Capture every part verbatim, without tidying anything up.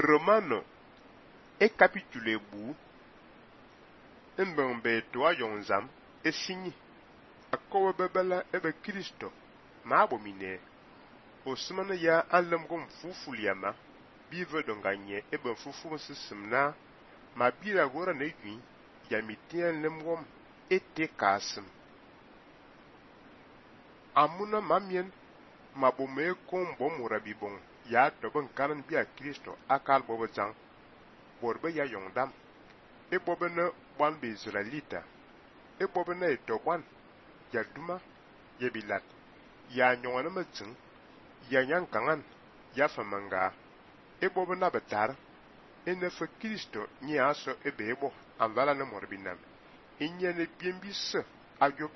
Romano e capitule bu mbembe to ayonzam e signi akowe bebela ebe Kristo ma abomine osmana ya anlam gom fufuliama bive donganye ebe fufu sisimna ma bira gora na yui ya mitien lemgom ete kasim amuna mamien mabome kombo murabibon ya dobon kanan biya Kristo akal bobo jang borbe ya yongdam e bobe na ban be Israelita e bobe na etoban ya duma ya bilat ya nyongana matin ya nyankangan ya famanga e bobe na betar e ne fa Kristo ni aso e bebo anvala na morbinam inya ne biembis ayop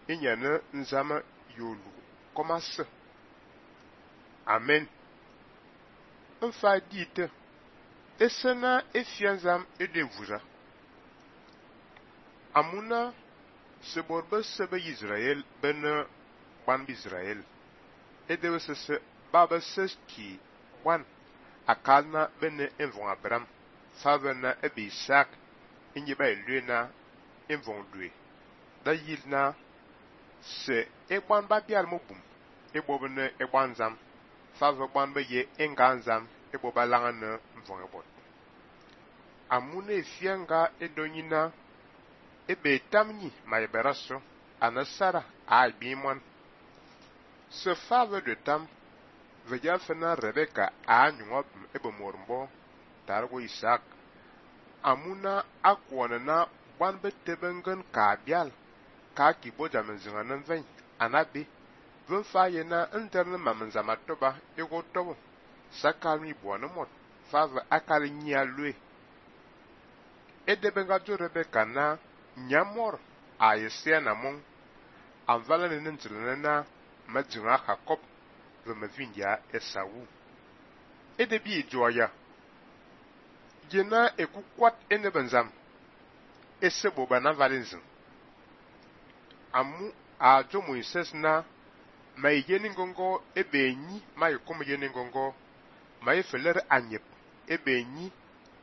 inya na nzama yolu komas amen mfa dite esena efianzam edevuza amuna seborbe sebe Israel ben ban Israel edewe sese baba seski wan akalna ben envon Abraham favena ebe Isaac inye ba elena envon dwe da yilna se egban ba bial mobum ebobne egbanzam fave gban be ye enganzam eboba langana mvon ebot amuna efianga edonyina ebe tamni maiberaso anasara a bimon se fave de tam veja fena Rebecca a nyongop ebe mormbo targo Isaac amuna akwona na gban be tebengen ka bial ka kiboja menzinganan vein anabi vun faye na interne mamenzama toba ego tobo sakami buana mot fave akali nyia lue edebenga jo Rebecca na nyamor a yesea na mon anvala ne ntilene na majinga Jacob ve mavindia Esau edebi joya jena ekukwat enebenzam esebo bana valinzin amu a jo Moises na mai yeni ngongo ebe nyi mai kom yeni ngongo mai feler anyep ebe nyi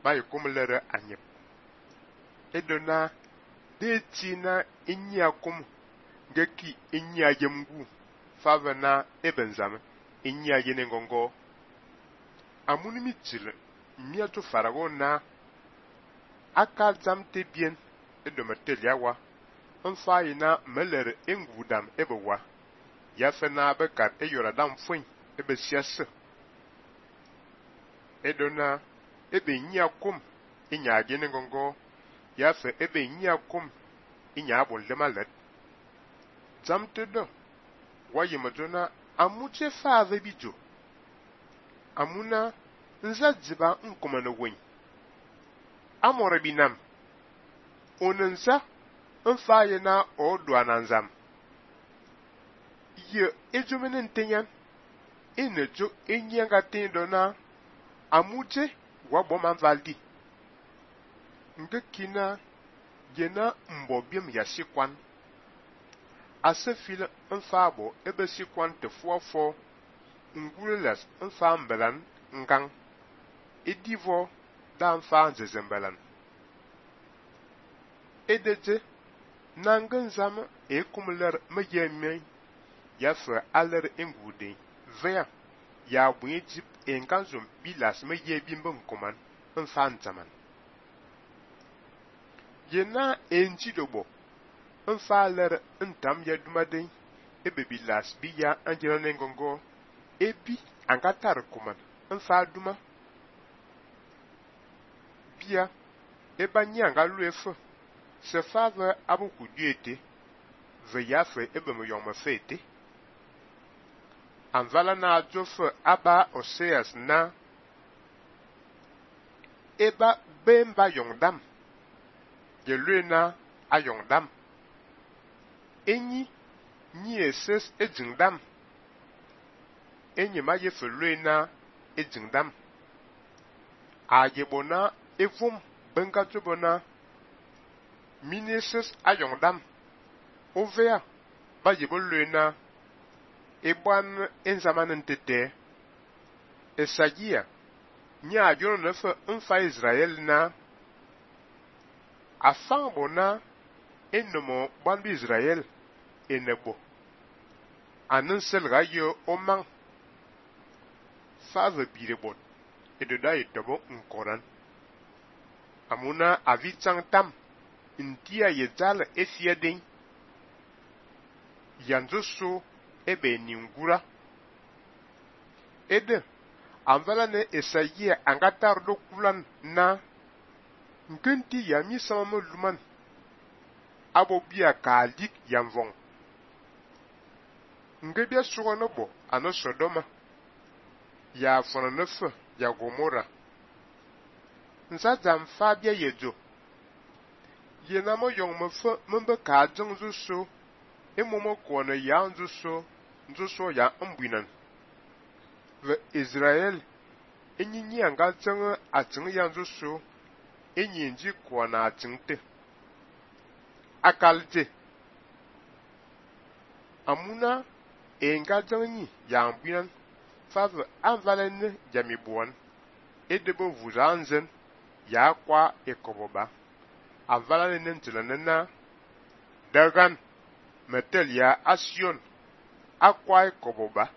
mai kom lere anyep edona de tina inyi akom ngeki inyi ajemgu favana ebenzam inyi yeni ngongo amuni mitil mia to farago na aka zamte bien edometeliawa mfa yina meler engudam ebewa ya fena bekar e yoradam fun ebe siase edona ebe nyia kom inya gene gongo ya fe ebe nyia kom inya abon lemalet zamte do waye madona amuche fave bijo amuna nzadziba nkomana wen amore binam onensa mfa yina odwa nanzam ye ejumene ntenyan inejo enyanga tendo na amuje wabo manvaldi nge kina jena mbobiem ya sikwan asefile mfabo ebe sikwan te fuafo ngulelas mfa mbelan ngang edivo da mfa nzezembelan edeje nanganzam ekumler mejemme ya fe aler engude vea ya bujip enkanzum bilas me ye bimbo nkoman mfa ntaman yena enjidobo mfa aler ntam ya dumade ebe bilas biya anjela nengongo ebi angatar kuman mfa duma biya eba nyanga luefe se fave abuku diete ve ya fe ebe me yoma fete anvala na jofe aba Oseas na eba bemba yongdam ye luena a yongdam enyi nyi eses ejingdam enyi ma ye fe luena ejingdam a yebona evum benga jobona mineses a yongdam ovea ba yebo luena Eban en zamanen tete Esagia nya jono ne fe mfa Israel na afan bona enomo ban bi Israel enebo anan selga yo omang fa ve birebot ededa etobo nkoran amuna avitsang tam intia yezal efiedin yanzo so ebe ningura ede anvala ne esayia angatar do kulan na nkenti yami sama luman abo bia kalik yamvong ngebia sugo no bo ano Sodoma ya fona nefe ya Gomora nsa zam fa bia yejo yenamo yong me fe membe ka jeng zu so emomo ko ne ya nzu so nzu so ya mbuinan ve Israel enyinyi anga jeng ating ya nzu so enyinji ko na atingte akalje amuna enga jengni ya mbuinan fa ve anvalen jami buan edebo vuzanzen ya kwa ekoboba avala ne ntilanena dagan metel ya asion akwa ekoboba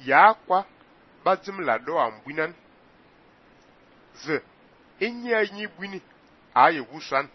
ya kwa bazim la do ambuinan ze enya nyi bwini aye wusan